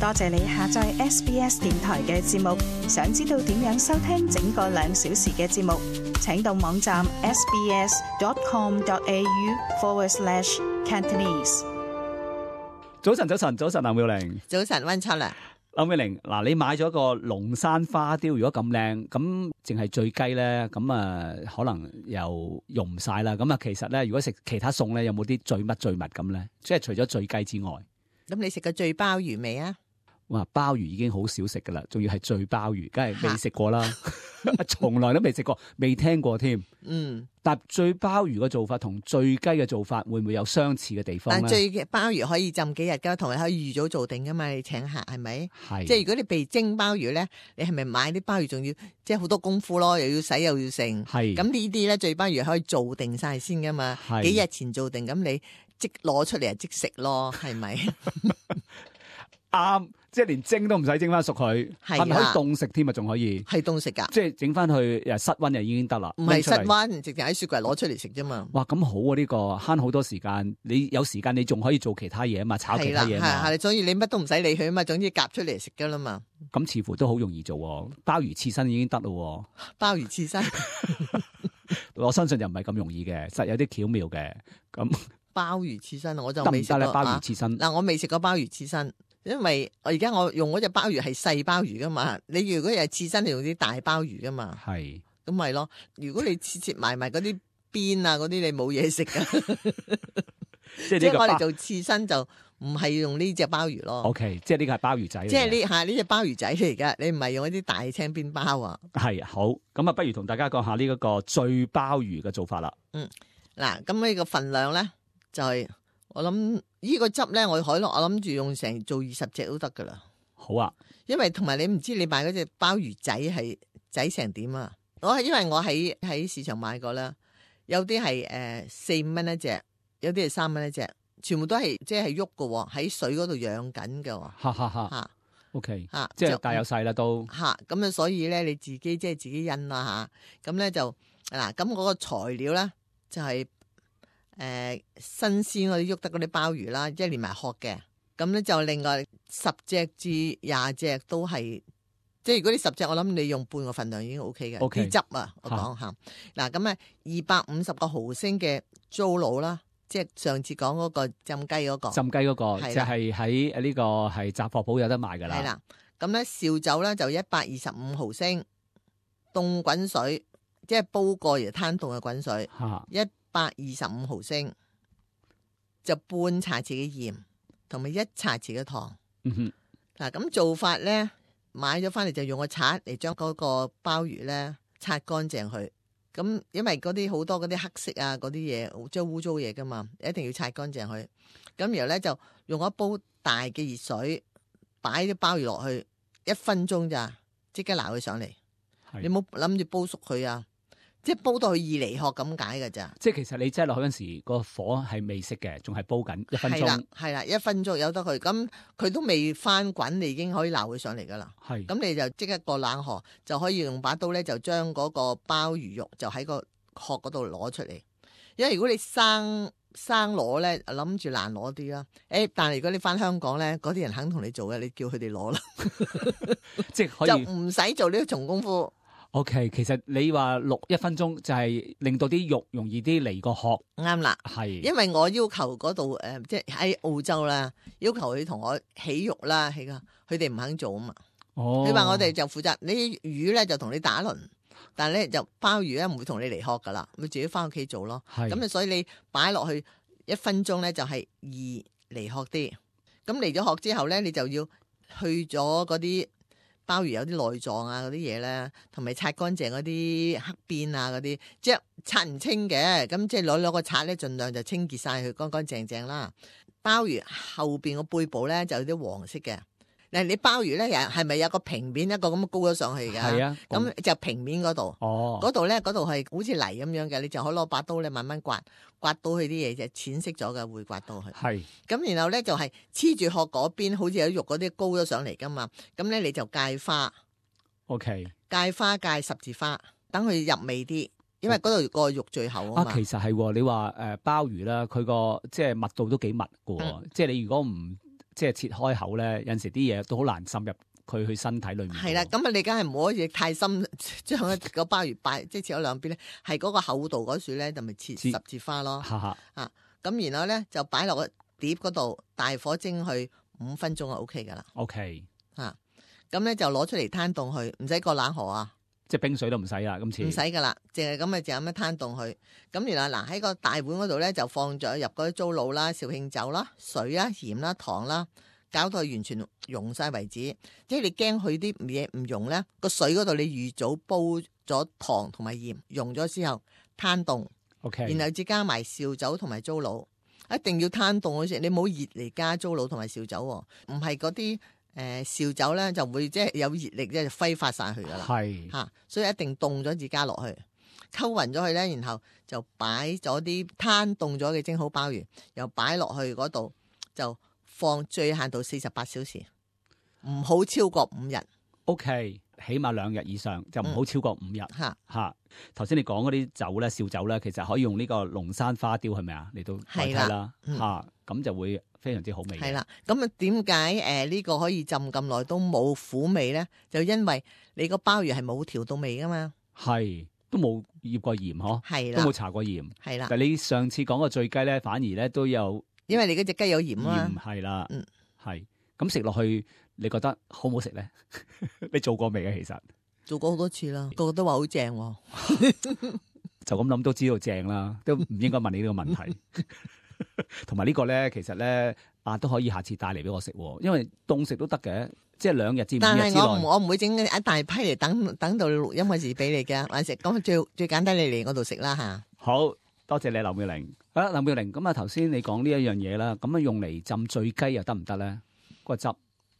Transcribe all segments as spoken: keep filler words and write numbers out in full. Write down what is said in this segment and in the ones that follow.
多謝你下載 S B S 電台嘅節目。想知道點樣收聽整個兩小時嘅節目，請到網站 sbs.com.au forward slash Cantonese。早晨，早晨，早晨，林妙玲。早晨，溫秋啦。林妙玲，嗱，你買咗個龍山花雕，如果咁靚，咁淨係醉雞咧，咁啊可能又用唔晒啦。咁啊，其實咧，如果食其他餸咧，有冇啲醉乜醉物咁咧？即係除咗醉雞之外，咁你食過醉鮑魚未啊？哇，鮑魚已經好少食噶啦，仲要係醉鮑魚，梗係未食過啦，從來都未食過，未聽過添。嗯，但醉鮑魚嘅做法同醉雞嘅做法會唔會有相似嘅地方咧？但醉嘅鮑魚可以浸幾日噶，同埋可以預早做定噶嘛？你請客係咪？係。即係如果你被蒸鮑魚咧，你係咪買啲鮑魚仲要即係好多功夫咯？又要洗又要剩。係。咁呢啲咧醉鮑魚可以做定晒先噶嘛？幾日前做定，咁你即攞出嚟就即食咯，係咪？啱。即係連蒸都唔使蒸翻熟佢，係咪可以凍食添啊？仲可以係凍食噶，即係整翻去誒室溫就已經得啦。唔係室溫，直接喺雪櫃攞出嚟食啫嘛。哇，咁好啊！呢個慳好多時間，你有時間你仲可以做其他嘢啊嘛，炒其他嘢嘛。係係，所以你乜都唔使理佢啊嘛，總之夾出嚟食噶啦嘛。咁似乎都好容易做，鮑魚刺身已經得咯。鮑魚刺身，我相信就唔係咁容易嘅，實有啲巧妙嘅。咁鮑魚刺身我就未食過。得唔得咧？鮑魚刺身嗱，我未食過鮑魚刺身。因為我而家我用嗰隻鮑魚係細鮑魚噶嘛，你如果係刺身，你用啲大鮑魚噶嘛，係咁咪咯。如果你切切埋埋嗰啲邊啊嗰啲，你冇嘢食噶。即係我哋做刺身就唔係用呢隻鮑魚咯。O、okay, K， 即係呢個係鮑魚仔。即係呢吓呢隻鮑魚仔嚟噶，你唔係用一啲大青邊鮑啊。係好，咁啊，不如同大家講下呢一個醉鮑魚嘅做法啦。嗯，嗱，咁呢個份量咧就係、是。我諗呢個汁咧，我可能我諗住用成做二十隻都得噶啦。好啊，因為同埋你唔知你買嗰隻鮑魚仔係仔成點啊？我係因為我喺喺市場買過啦，有啲係誒四五蚊一隻，有啲係三蚊一隻，全部都係即係喐噶，喺水嗰度養緊噶。哈哈哈。吓 ，OK，吓，即係大有細啦都。吓，咁啊，所以咧你自己即係自己印啦吓，咁咧就嗱，咁嗰個材料咧就係、是。誒、呃，新鮮嗰啲喐得嗰啲鮑魚啦，即係連埋殼嘅，咁咧就另外十隻至廿隻都係，即係如果你十隻，我諗你用半個份量已經 O K 嘅。啲、okay. 汁啊，我講下，嗱咁啊，二百五十個毫升嘅糟滷啦，即係上次講嗰個浸雞嗰、嗰個，浸雞嗰個，就係喺呢個係雜貨鋪有得賣噶啦。係啦，咁咧紹酒咧就一百二十五毫升，凍滾水，即係煲過而攤凍嘅滾水，一。百二十五毫升，就半茶匙嘅鹽，同埋一茶匙嘅糖。嗯哼，嗱咁做法咧，買咗翻嚟就用個刷嚟將嗰個鮑魚咧刷乾淨佢。咁因為嗰啲好多嗰啲黑色啊嗰啲嘢，即係污糟嘢噶嘛，一定要刷乾淨佢。咁然後咧就用一煲大嘅熱水，擺啲鮑魚落去，一分鐘咋，即刻撈佢上嚟。你冇諗住煲熟佢啊！即係煲到佢二離殼咁解㗎咋？即係其實你擠落去嗰陣時，個火係未熄嘅，仲係煲緊一分鐘。係啦，係啦，一分鐘由得佢，咁佢都未翻滾，你已經可以撈佢上嚟噶啦。係，咁你就即刻過冷河，就可以用把刀咧，就將嗰個鮑魚肉就喺個殼嗰度攞出嚟。因為如果你生生攞咧，諗住難攞啲啦。誒，但係如果你翻香港咧，嗰啲人肯同你做嘅，你叫佢哋攞啦，即係可以就唔使做呢個重功夫。O、okay, K， 其實你話淥一分鐘就係令到啲肉容易啲離個殼，啱啦，係。因為我要求嗰度誒，即係喺澳洲啦，要求佢同我起肉啦，起噶，佢哋唔肯做啊嘛。哦，你話我哋就負責，你魚咧就同你打輪，但係咧就鮑魚咧唔會同你離殼噶啦，你自己翻屋企做咯。係。咁啊，所以你擺落去一分鐘咧就係易離殼啲。咁離咗殼之後咧，你就要去咗嗰啲。鮑魚有啲內臟啊嗰啲嘢咧，同埋擦乾淨嗰啲黑邊啊嗰啲，即係擦唔清嘅，咁即係攞攞個刷咧，盡量就清潔晒佢乾乾淨淨啦。鮑魚後邊個背部咧就有啲黃色嘅。嗱，你鮑魚咧係咪有個平面一個咁高咗上去嘅？係啊，咁就平面嗰度，嗰度咧嗰度係好似泥咁樣嘅，你就可以攞把刀咧慢慢刮，刮到佢啲嘢就淺色咗嘅，會刮到佢。係，咁然後咧就係黐住殼嗰邊，好似有肉嗰啲高咗上嚟噶嘛，咁咧你就戒花。OK， 戒花戒十字花，等佢入味啲，因為嗰度個肉最厚啊嘛。啊，其實係你話誒鮑魚啦，佢個即係密度都幾密嘅，嗯、即係你如果唔即係切開口咧，有陣時啲嘢都好難滲入佢去身體裏面。係啦，咁啊你梗係唔可以太深，將個鮑魚擺即係切咗兩邊咧，係嗰個厚度嗰處咧就咪切十字花咯。哈哈啊，咁然後咧就擺落個碟嗰度，大火蒸去五分鐘就 O K 噶啦。O K， 啊，咁咧就攞出嚟攤凍去，唔使過冷河啊。即係冰水都唔使啦，今次唔使噶啦，淨係咁啊，就咁樣攤凍佢。咁原來嗱喺個大碗嗰度咧，就放咗入嗰啲糟滷啦、紹興酒啦、水啦、鹽啦、糖啦，搞到佢完全溶晒為止。即係你驚佢啲嘢唔溶咧，個水嗰度你預早煲咗糖同埋鹽，溶咗之後攤凍。OK， 然後至加埋紹酒同埋糟滷，一定要攤凍嗰時，你唔好熱嚟加糟滷同埋紹酒，唔係嗰啲。誒紹酒咧就會即係有熱力即係揮發晒去噶啦，係嚇，所以一定凍咗至加落去，溝勻咗佢咧，然後就擺咗啲攤凍咗嘅蒸好鮑魚，又擺落去嗰度，就放最限度四十八小時，唔好超過五日。OK，起碼兩日以上，就唔好超過五日。嚇嚇，頭先你講嗰啲酒咧，紹酒咧，其實可以用呢個龍山花雕係咪啊嚟到代替啦？嚇，咁就會非常之好味。係啦，咁啊點解誒呢個可以浸咁耐都冇苦味咧？就因為你個鮑魚係冇調到味噶嘛。係，都冇醃過鹽嗬，係啦，都冇搽過鹽。係啦，但係你上次講個醉雞咧，反而咧都有，因為你嗰隻雞有鹽啊。鹽係啦，嗯，係。咁食落去，你覺得好唔好食咧？你做過未啊？其實做過好多次啦，個個都話好正。就咁諗都知道正啦，都唔應該問你呢個問題。同埋呢個咧，其實咧啊都可以下次帶嚟俾我食，因為凍食都得嘅，即係兩日至五日之內。但係我唔我唔會整一大批嚟等等到錄音嗰時俾你嘅，還食咁最最簡單，你嚟我度食啦吓。好多謝你，劉妙玲。啊，劉妙玲，咁啊頭先你講呢一樣嘢啦，咁啊用嚟浸醉雞又得唔得咧？個汁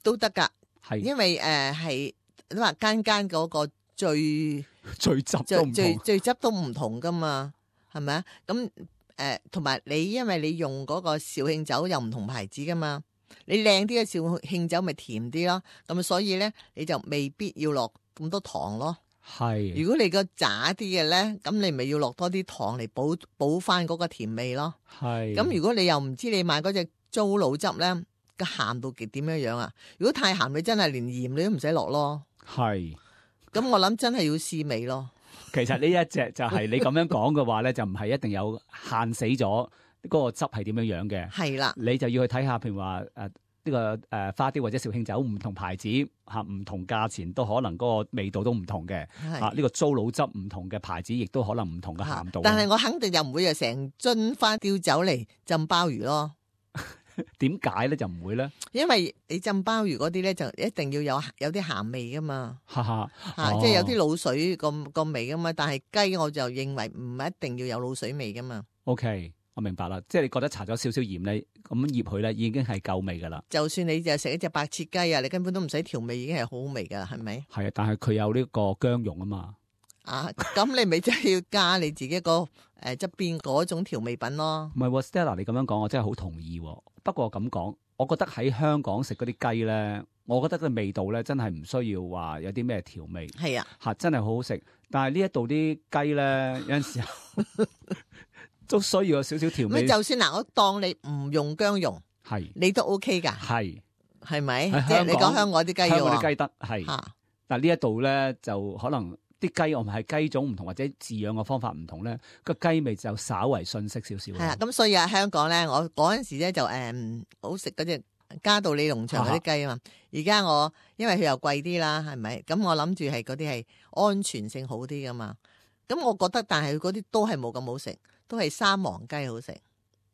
都得噶，係因為誒係你話間間嗰個醉醉汁都唔同，醉醉汁都唔同噶嘛，係咪啊？咁誒同埋你因為你用嗰個紹興酒又唔同牌子噶嘛，你靚啲嘅紹興酒咪甜啲咯，咁所以咧你就未必要落咁多糖咯。係，如果你個渣啲嘅咧，咁你咪要落多啲糖嚟補補翻嗰個甜味咯。係，咁如果你又唔知你買嗰隻糟滷汁咧，個鹹度極點樣樣啊？如果太鹹，你真係連鹽你都唔使落咯。係，咁我諗真係要試味咯。其實呢一隻就係你咁樣講嘅話咧，就唔係一定有限死咗嗰個汁係點樣樣嘅。係啦，你就要去睇下，譬如話誒呢個誒花雕或者紹興酒唔同牌子嚇，唔同價錢都可能嗰個味道都唔同嘅嚇。呢個糟滷汁唔同嘅牌子，亦都可能唔同嘅鹹度。但係我肯定就唔會有成樽花雕酒嚟浸鮑魚咯。點解咧就唔會咧？因為你浸鮑魚嗰啲咧就一定要有有啲鹹味噶嘛，哈哈，嚇，即係有啲鹵水咁個味噶嘛。但係雞我就認為唔一定要有鹵水味噶嘛。OK，我明白啦，即係你覺得搽咗少少鹽咧，咁醃佢咧已經係夠味噶啦。就算你就食一隻白切雞啊，你根本都唔使調味，已經係好味噶啦，係咪？係啊，但係佢有呢個薑蓉啊嘛。啊，咁你咪真係要加你自己個誒側邊嗰種調味品咯。唔係，Stella，你咁樣講，我真係好同意。不過咁講，我覺得喺香港食嗰啲雞咧，我覺得個味道咧真係唔需要話有啲咩調味。係啊，嚇真係好好食。但係呢一度啲雞咧，有陣時候都需要有少少調味。咁就算嗱，我當你唔用薑蓉，係你都 OK 㗎。係係咪？即係你講香港啲雞嘅話，香港啲雞得係。嚇，但係呢一度咧就可能啲雞我唔係雞種唔同，或者飼養嘅方法唔同咧，個雞味就稍為遜色少少。係啊，咁所以啊，香港咧，我嗰陣時咧就誒、嗯、好食嗰隻嘉道理農場嗰啲雞啊嘛。而家我因為佢又貴啲啦，係咪？咁我諗住係嗰啲係安全性好啲噶嘛。咁我覺得，但係嗰啲都係冇咁好食，都係三黃雞好食。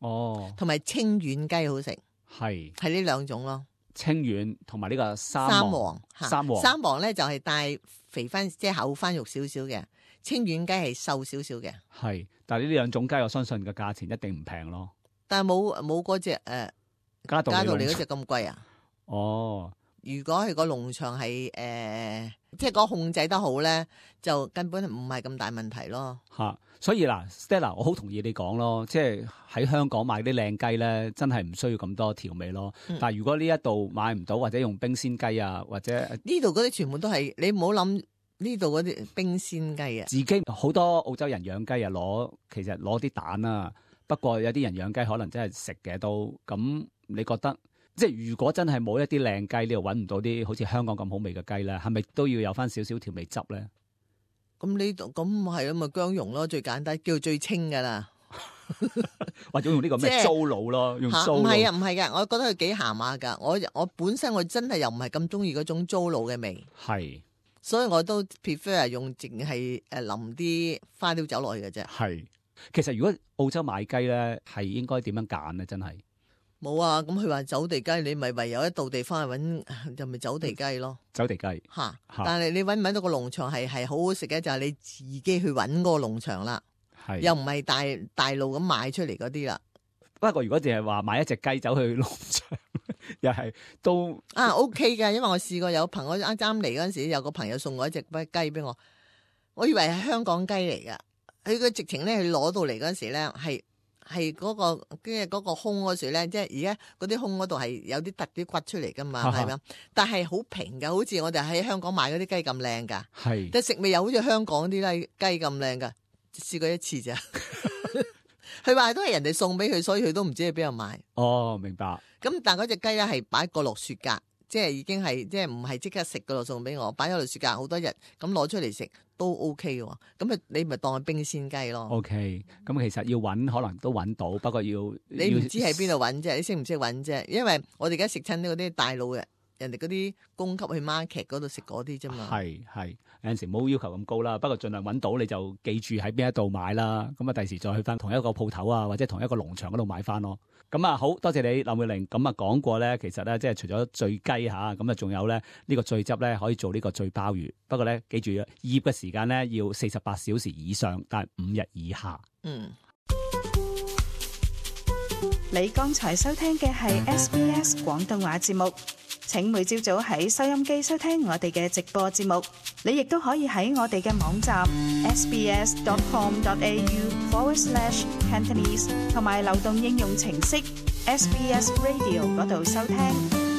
哦，同埋清遠雞好食，係係呢兩種咯。清遠同埋呢個三三黃，黃三黃三黃咧就係帶肥翻，即係厚翻肉少少嘅。清遠雞係瘦少少嘅。係，但係呢兩種雞，我相信個價錢一定唔平咯。但係冇冇嗰隻誒嘉道理嗰隻咁貴啊？哦，如果係個農場係誒、呃，即係嗰控制得好咧，就根本唔係咁大問題咯。嚇，所以嗱 ，Stella，我好同意你講咯，即係喺香港買啲靚雞咧，真係唔需要咁多調味咯。嗯、但係如果呢一度買唔到，或者用冰鮮雞啊，或者呢度嗰啲全部都係你唔好諗呢度嗰啲冰鮮雞啊。自己好多澳洲人養雞啊，攞其實攞啲蛋啊。不過有啲人養雞可能真係食嘅都咁，你覺得即係如果真係冇一啲靚雞，呢度揾唔到啲好似香港咁好味嘅雞咧，係咪都要有翻少少調味汁咧？咁呢度咁係啊，咪薑蓉咯，最簡單，叫最清噶啦。或者用呢個咩糟滷咯，用糟滷。唔係啊，唔係噶，我覺得佢幾鹹下噶。我我本身我真係又唔係咁中意嗰種糟滷嘅味。係。所以我都 prefer 用淨係誒淋啲花雕酒落去嘅啫。係。其實如果澳洲買雞咧，係應該點樣揀咧？真係。冇啊，咁佢話走地雞，你咪唯有一到地翻去揾，就咪走地雞咯。走地雞。吓。但係你揾唔揾到個農場係係好好食嘅，就係、是、你自己去揾嗰個農場啦。係，又唔係大大路咁賣出嚟嗰啲啦。不過如果淨係話買一隻雞走去農場，又係都啊 OK 嘅，因為我試過有朋友啱啱嚟嗰陣時，有個朋友送我一隻雞俾我，我以為係香港雞嚟噶，佢個直情咧，佢攞到嚟嗰陣時咧，係係嗰個即係嗰個胸嗰時咧，即係而家嗰啲胸嗰度係有啲突啲骨出嚟噶嘛，係咪？但係好平噶，好似我哋喺香港買嗰啲雞咁靚噶，係，但食味又好似香港啲雞雞咁靚噶。試過一次咋，佢話都係人哋送俾佢，所以佢都唔知喺邊度買。哦，明白。咁但係嗰隻雞咧係擺個落雪格，即係已經係即係唔係即刻食嗰度送俾我，擺咗落雪格好多日，咁攞出嚟食都 OK 嘅。咁啊，你咪當係冰鮮雞咯。OK，咁其實要揾可能都揾到，不過要你唔知喺邊度揾啫，你識唔識揾啫？因為我哋而家食親嗰啲大陸嘅。人哋嗰啲供給去 market 嗰度食嗰啲啫嘛，係係有陣時冇要求咁高啦，不過盡量揾到你就記住喺邊一度買啦，咁啊第時再去翻同一個鋪頭啊，或者同一個農場嗰度買翻咯。咁啊好多謝你林妙玲，咁啊講過咧，其實咧即係除咗醉雞嚇，咁啊仲有咧呢個醉汁咧可以做呢個醉鮑魚，不過咧記住醃嘅時間咧要四十八小時以上，但係五日以下。嗯。你剛才收聽嘅係 S B S 廣東話節目。請每朝早喺收音機收聽我哋嘅直播節目，你亦都可以喺我哋嘅網站 sbs.com.au forward slash Cantonese 同埋流動應用程式 S B S Radio 嗰度收聽。